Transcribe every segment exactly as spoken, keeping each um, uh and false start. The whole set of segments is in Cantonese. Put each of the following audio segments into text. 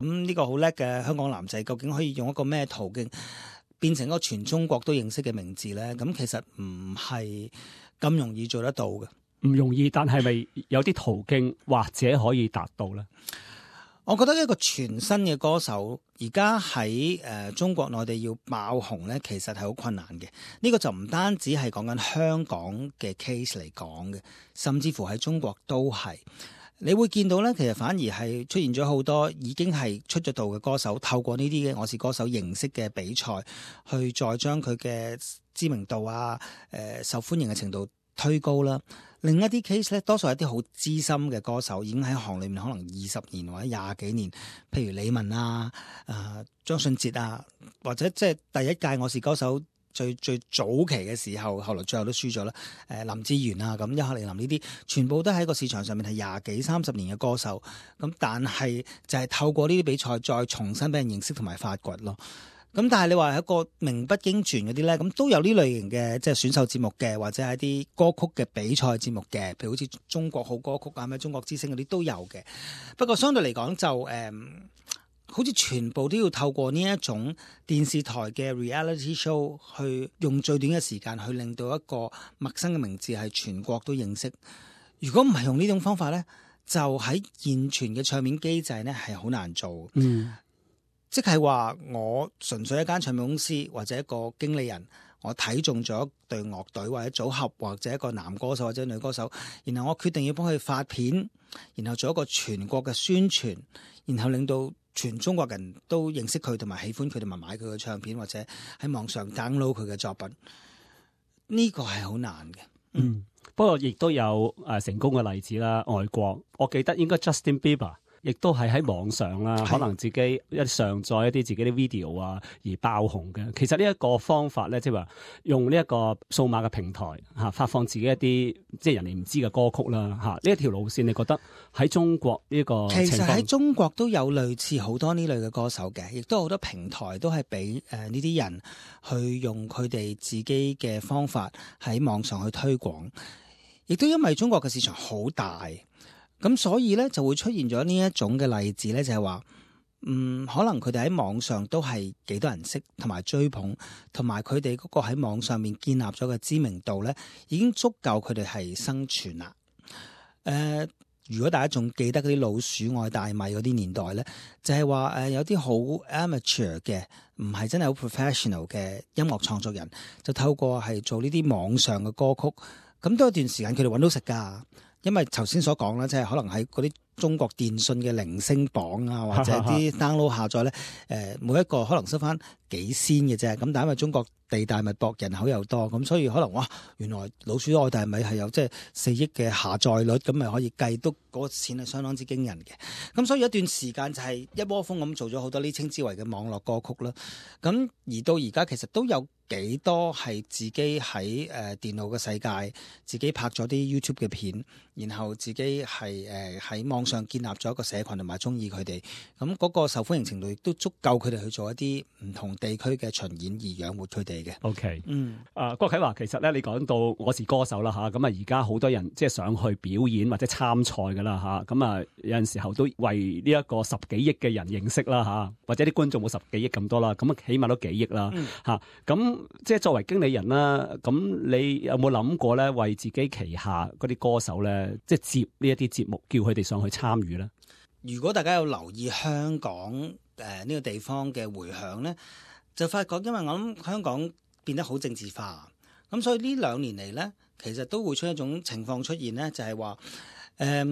咁呢個好叻嘅香港男仔，究竟可以用一個咩途徑變成一個全中國都認識嘅名字呢？咁其實唔係咁容易做得到嘅。唔容易，但係咪有啲途徑或者可以達到呢？我覺得一個全新嘅歌手而家喺誒中國內地要爆紅咧，其實係好困難嘅。呢、這個就唔單止係講緊香港嘅 case 嚟講嘅，甚至乎喺中國都係。你會見到咧，其實反而係出現咗好多已經係出咗道嘅歌手，透過呢啲嘅我是歌手形式嘅比賽，去再將佢嘅知名度啊、誒、呃、受歡迎嘅程度推高啦。另一啲 case 咧，多數係啲好資深嘅歌手，已經喺行裏面可能二十年或者廿幾年，譬如李玟啊、誒張信哲啊，或者即係第一屆我是歌手最最早期嘅時候，後來最後都輸咗啦。誒林志炫啊，咁一克里林呢啲，全部都喺個市場上面係廿幾三十年嘅歌手，咁但係就係透過呢啲比賽再重新俾人認識同埋發掘咯。咁但係你話係一個名不經傳嗰啲咧，咁都有呢類型嘅即係選秀節目嘅，或者係啲歌曲嘅比賽節目嘅，譬如好似中國好歌曲啊、咩中國之星嗰啲都有嘅。不過相對嚟講就誒、嗯，好似全部都要透過呢一種電視台嘅 reality show 去用最短嘅時間去令到一個陌生嘅名字係全國都認識。如果唔係用呢種方法咧，就喺現存嘅唱片機制咧係好難做。嗯。即係話我純粹一間唱片公司或者一個經理人，我睇中咗一隊樂隊或者組合或者一個男歌手或者女歌手，然後我決定要幫佢發片，然後做一個全國嘅宣傳，然後令到全中國人都認識佢同埋喜歡佢同埋買佢嘅唱片或者喺網上 download 佢嘅作品，呢個係好難嘅。嗯，嗯不過亦都有誒成功嘅例子啦。外國我記得應該 Justin Bieber。亦都係喺網上啦，可能自己一上載一啲自己啲 video 啊而爆紅嘅。其實呢一個方法咧，即係話用呢一個數碼嘅平台嚇發放自己一啲即係人哋唔知嘅歌曲啦嚇。呢一條路線，你覺得喺中國呢個情況？其實喺中國都有類似好多呢類嘅歌手嘅，亦都好多平台都係俾誒呢啲人去用佢哋自己嘅方法喺網上去推廣。亦都因為中國嘅市場好大。咁所以咧就會出現咗呢一種嘅例子咧，就係話，嗯，可能佢哋喺網上都係幾多人識同埋追捧，同埋佢哋嗰個喺網上面建立咗嘅知名度咧，已經足夠佢哋係生存啦。誒、呃，如果大家仲記得嗰啲老鼠愛大米嗰啲年代咧，就係話誒有啲好 amateur 嘅，唔係真係好 professional 嘅音樂創作人，就透過係做呢啲網上嘅歌曲，咁都有段時間佢哋揾到食㗎。因為頭先所講啦，即係可能喺嗰啲中國電信嘅鈴聲榜啊，或者啲 download 下載咧，誒每一個可能收翻幾仙嘅啫。咁但係因為中國地大物博，人口又多，咁所以可能哇，原來老鼠愛大米係有即係四億嘅下載率，咁咪可以計到嗰個錢係相當之驚人嘅。咁所以有一段時間就係一窩蜂咁做咗好多呢稱之為嘅網絡歌曲啦。咁而到而家其實都有幾多係自己喺誒、呃、電腦嘅世界，自己拍咗啲 YouTube 嘅片，然後自己係誒喺網上建立咗一個社群同埋中意佢哋，咁嗰個受歡迎程度亦都足夠佢哋去做一啲唔同地區嘅巡演而養活佢哋嘅。OK，嗯，啊、呃、郭啟華，其實咧你講到我是歌手啦嚇，咁啊而家好多人即係想去表演或者參賽噶啦嚇，咁啊有陣時候都為呢一個十幾億嘅人認識啦嚇，或者啲觀眾冇十幾億咁多啦，咁啊起碼都幾億啦嚇，咁、嗯。即係作為經理人啦，咁你有冇諗過咧，為自己旗下嗰啲歌手咧，即係接呢一啲節目，叫佢哋上去參與咧？如果大家有留意香港誒呢、呃這個地方嘅迴響咧，就發覺因為我諗香港變得好政治化，咁所以呢兩年嚟咧，其實都會出一種情況出現咧，就係話誒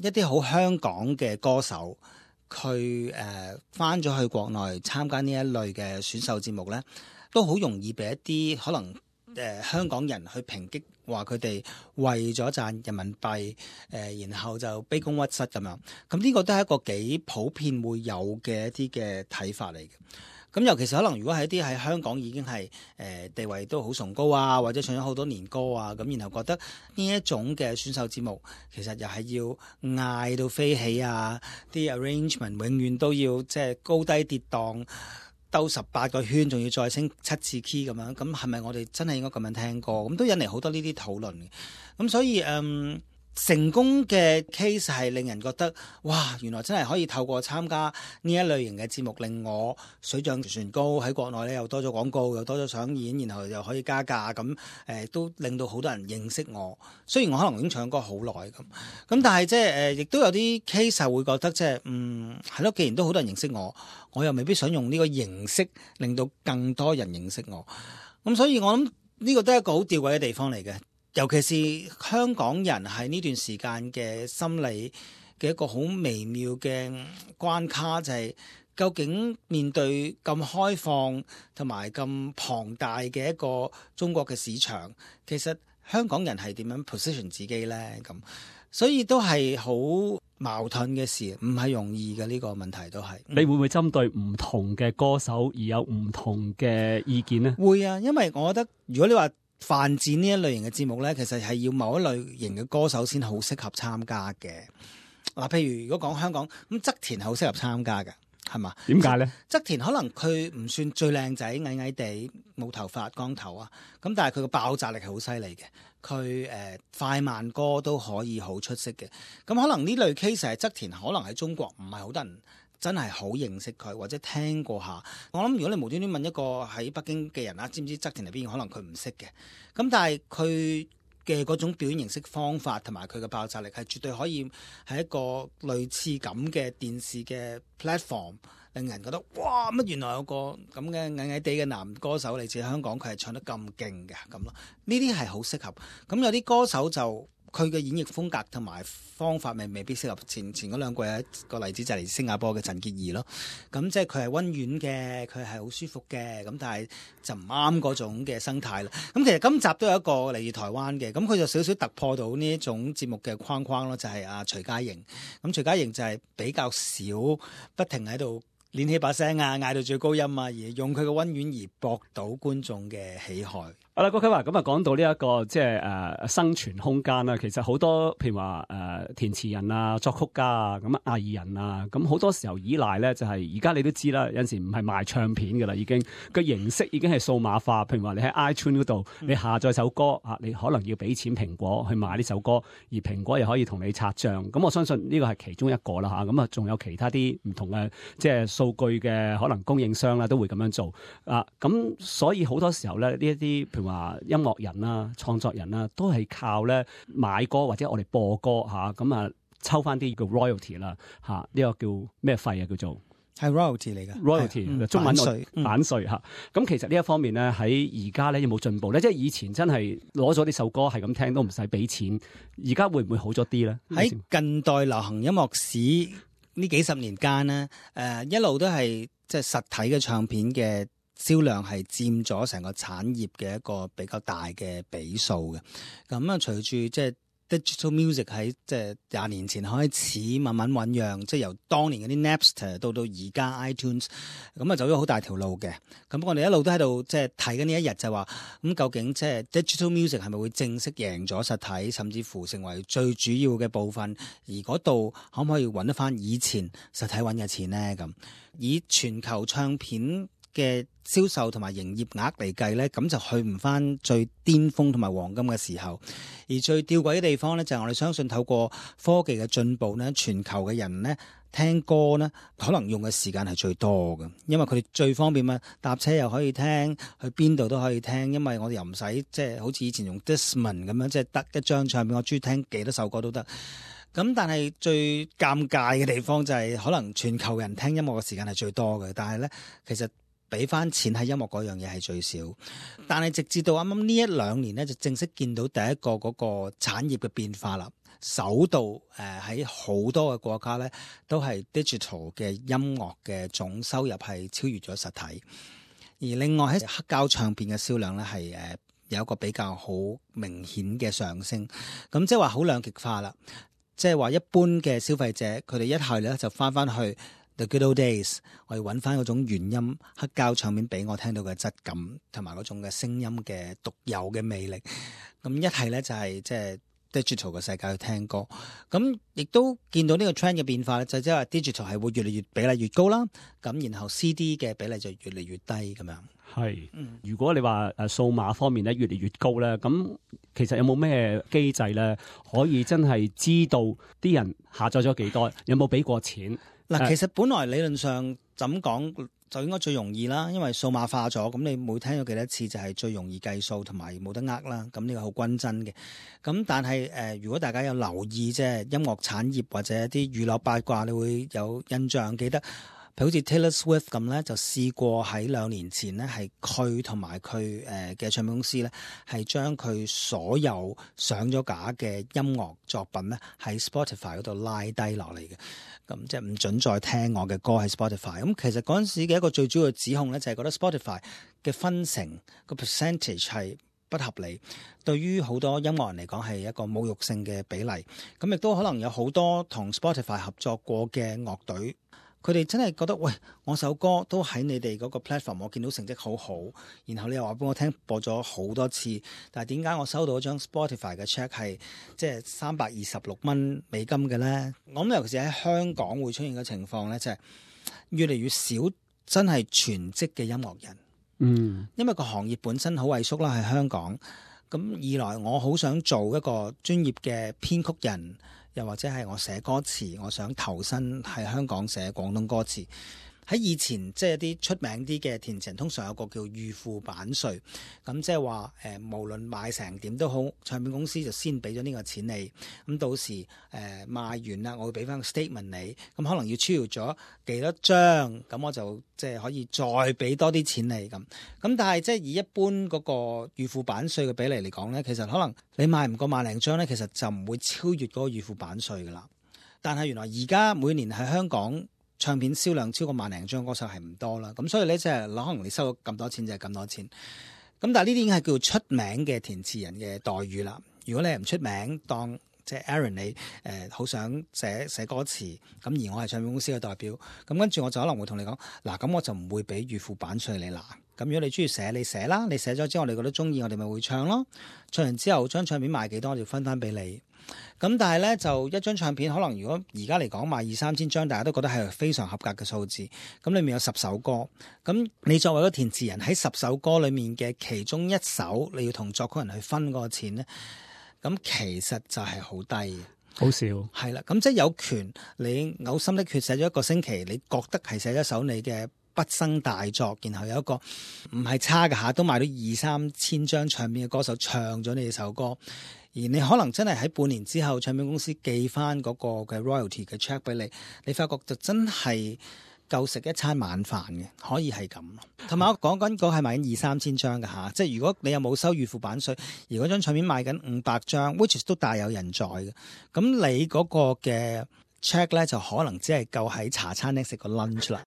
一啲好香港嘅歌手，佢誒返咗去國內參加呢一類嘅選秀節目咧。都好容易俾一啲可能誒、呃、香港人去抨擊，話佢哋為咗賺人民幣誒、呃，然後就卑躬屈膝咁樣。咁呢個都係一個幾普遍會有嘅一啲嘅睇法嚟嘅。咁尤其是可能如果係一啲喺香港已經係誒、呃、地位都好崇高啊，或者唱咗好多年歌啊，咁然後覺得呢一種嘅選秀節目其實又係要嗌到飛起啊，啲 arrangement 永遠都要即係高低跌宕。兜十八個圈，仲要再升七次 key 咁樣，咁係咪我哋真係應該咁樣聽歌？咁都引嚟好多呢啲討論嘅。咁所以嗯，成功嘅 case 係令人覺得哇，原來真係可以透過參加呢一類型嘅節目，令我水漲船高，喺國內咧又多咗廣告，又多咗上演，然後又可以加價，咁誒、呃、都令到好多人認識我。雖然我可能已經唱歌好耐咁，咁但係即係誒，亦都有啲 case 係會覺得即係嗯係咯，既然都好多人認識我，我又未必想用呢個形式令到更多人認識我。咁所以我諗呢個都係一個好吊詭嘅地方嚟嘅。尤其是香港人喺呢段時間嘅心理嘅一個好微妙嘅關卡，就係、是、究竟面對咁開放同埋咁龐大嘅一個中國嘅市場，其實香港人係點樣 position 自己呢？咁所以都係好矛盾嘅事，唔係容易嘅呢、這個問題都係。你會唔會針對唔同嘅歌手而有唔同嘅意見呢？會啊，因為我覺得如果你話犯賤呢一類型嘅節目呢，其實係要某一類型嘅歌手先好適合參加嘅。嗱，譬如如果講香港咁，側田係好適合參加嘅，係嘛？點解呢？側田可能佢唔算最靚仔，矮矮地，冇頭髮，光頭啊。咁但係佢個爆炸力係好犀利嘅，佢誒、呃、快慢歌都可以好出色嘅。咁可能呢類 case 係側田，可能喺中國唔係好多人真係好認識佢，或者聽過下。我諗如果你無端端問一個喺北京嘅人啊，知唔知側田係邊個？可能佢唔識嘅。咁但係佢嘅嗰種表演形式方法同埋佢嘅爆炸力係絕對可以係一個類似咁嘅電視嘅 platform，令人覺得哇，乜原來有個咁嘅矮矮地嘅男歌手嚟自香港，佢係唱得咁勁嘅咁咯。呢啲係好適合。咁有啲歌手就佢嘅演繹風格同埋方法，咪未必適合。前前嗰兩季一個例子就係嚟自新加坡嘅陳潔儀咯。咁即係佢係溫軟嘅，佢係好舒服嘅。咁但係就唔啱嗰種嘅生態啦。咁其實今集都有一個嚟自台灣嘅，咁佢就少少突破到呢一種節目嘅框框咯，就係、是、阿、啊、徐佳瑩。咁徐佳瑩就係比較少不停喺度練起把聲啊，嗌到最高音啊，而用佢嘅溫軟而博到觀眾嘅喜愛。好啦，郭啟華咁啊，講到呢、這、一個即係誒生存空間啦。其實好多譬如話誒、呃、填詞人啊、作曲家啊、咁啊藝人啊，咁好多時候依賴咧就係而家你都知啦，有陣時唔係賣唱片㗎啦，已經個形式已經係數碼化。譬如話你喺 iTunes 嗰度，你下載首歌啊，你可能要俾錢蘋果去買呢首歌，而蘋果又可以同你拆帳。咁我相信呢個係其中一個啦嚇。咁啊，仲有其他啲唔同嘅即係數據嘅可能供應商啦，都會咁樣做啊。咁所以好多時候咧，呢一啲譬如話音樂人啦、創作人啦，都係靠咧買歌或者我哋播歌嚇，咁啊抽翻啲叫 royalty 啦嚇，呢個叫咩費啊？叫做係 royalty 嚟嘅 royalty，嗯、中文我版稅版稅嚇。咁、嗯、其實呢一方面咧，喺而家咧有冇進步咧？即係以前真係攞咗呢首歌係咁聽都唔使俾錢，而家會唔會好咗啲咧？喺近代流行音樂史呢幾十年間呢，誒、呃、一路都係即係實體嘅唱片嘅銷量係佔咗成個產業嘅一個比較大嘅比數嘅。咁啊，隨住即係 digital music 喺即係廿年前開始慢慢醖釀，即係由當年嗰啲 Napster 到到而家 iTunes，咁啊走咗好大條路嘅。咁我哋一路都喺度即係睇緊呢一日就話，咁究竟即係 digital music 係咪會正式贏咗實體，甚至乎成為最主要嘅部分？而嗰度可唔可以揾得翻以前實體揾嘅錢呢？咁以全球唱片嘅銷售同埋營業額嚟計呢，咁就去唔翻最巔峰同埋黃金嘅時候。而最吊詭嘅地方呢，就係我哋相信透過科技嘅進步呢，全球嘅人呢聽歌呢，可能用嘅時間係最多嘅，因為佢哋最方便嘛，搭車又可以聽，去邊度都可以聽。因為我哋又唔使即係好似以前用 Discman 咁樣，即係得一張唱片，我中意聽幾多首歌都得。咁但係最尷尬嘅地方就係，可能全球人聽音樂嘅時間係最多嘅，但係呢，其實俾翻錢喺音樂嗰樣嘢係最少。但係直至到啱啱呢一兩年呢，就正式見到第一個嗰個產業嘅變化啦。首度誒喺好多嘅國家呢，都係 digital 嘅音樂嘅總收入係超越咗實體。而另外喺黑膠唱片嘅銷量呢，係誒有一個比較好明顯嘅上升。咁即係話好兩極化啦。即係話一般嘅消費者，佢哋一係咧就翻翻去 The Good Old Days，我要揾翻嗰種原音黑膠唱片俾我聽到嘅質感，同埋嗰種嘅聲音嘅獨有嘅魅力。咁一係咧就係即係 digital 嘅世界去聽歌。咁亦都見到呢個 trend 嘅變化咧，就即係話 digital 係會越嚟越比例越高啦。咁然後 C D 嘅比例就越嚟越低咁樣。係，如果你話誒數碼方面咧越嚟越高咧，咁其實有冇咩機制咧可以真係知道啲人下載咗幾多，有冇俾過錢？嗱，其實本來理論上怎講就應該最容易啦，因為數碼化咗，咁你每聽咗幾多次就係最容易計數同埋冇得呃啦。咁呢個好均真嘅。咁但係誒、呃，如果大家有留意即係音樂產業或者啲娛樂八卦，你會有印象記得。譬如好似 Taylor Swift 咁咧，就試過喺兩年前咧，係佢同埋佢誒嘅唱片公司咧，係將佢所有上咗架嘅音樂作品咧，喺 Spotify 嗰度拉低落嚟嘅。咁即係唔準再聽我嘅歌喺 Spotify。咁其實嗰陣時嘅一個最主要嘅指控咧，就係覺得 Spotify 嘅分成個 percentage 係不合理，對於好多音樂人嚟講係一個侮辱性嘅比例。咁亦都可能有好多同 Spotify 合作過嘅樂隊。佢哋真係覺得，喂，我首歌都喺你哋嗰個 platform，我見到成績好好，然後你又話俾我聽播咗好多次，但係點解我收到張 Spotify 嘅 check 係即係三百二十六蚊美金嘅咧？我諗尤其是喺香港會出現嘅情況咧，就係越嚟越少真係全職嘅音樂人。嗯，因為個行業本身好萎縮啦，喺香港。咁二來我好想做一個專業嘅編曲人。又或者係我寫歌詞，我想投身喺香港寫廣東歌詞。喺以前即係一啲出名啲嘅填詞人，通常有個叫預付版稅，咁即係話誒，無論賣成點都好，唱片公司就先俾咗呢個錢你，咁到時誒、呃、賣完啦，我會俾翻個 statement 你，咁可能要超越咗幾多張，咁我就即係可以再俾多啲錢你咁。咁但係即係以一般嗰個預付版稅嘅比例嚟講咧，其實可能你賣唔過萬零張咧，其實就唔會超越嗰個預付版稅噶啦。但係原來而家每年喺香港唱片銷量超過萬零張歌手係唔多啦，咁所以咧即係可能你收咗咁多錢就係咁多錢，咁但係呢啲已經係叫做出名嘅填詞人嘅待遇啦。如果你係唔出名，當即係 Aaron 你誒好、呃、想寫寫歌詞，咁而我係唱片公司嘅代表，咁跟住我就可能會同你講，嗱咁我就唔會俾預付版稅你啦。咁如果你中意寫，你寫啦，你寫咗之後我哋覺得中意，我哋咪會唱咯。唱完之後張唱片賣幾多，我就分翻俾你。咁但係咧就一張唱片可能如果而家嚟講賣二三千張，大家都覺得係非常合格嘅數字。咁裏面有十首歌，咁你作為一個填詞人喺十首歌裏面嘅其中一首，你要同作曲人去分嗰個錢咧，咁其實就係好低嘅，好少係啦。咁即係有權你嘔心瀝血寫咗一個星期，你覺得係寫一首你嘅畢生大作，然後有一個唔係差嘅下都賣到二三千張唱片嘅歌手唱咗你哋首歌。而你可能真係喺半年之後，唱片公司寄翻嗰個嘅 royalty 嘅 check 俾你，你發覺就真係夠食一餐晚飯嘅，可以係咁。同埋我講緊嗰係賣緊二三千張嘅嚇，即係如果你又冇收預付版稅，而嗰張唱片賣緊五百張 ，which is 都大有人在嘅，咁你嗰個嘅 check 咧就可能只係夠喺茶餐廳食個 lunch 啦。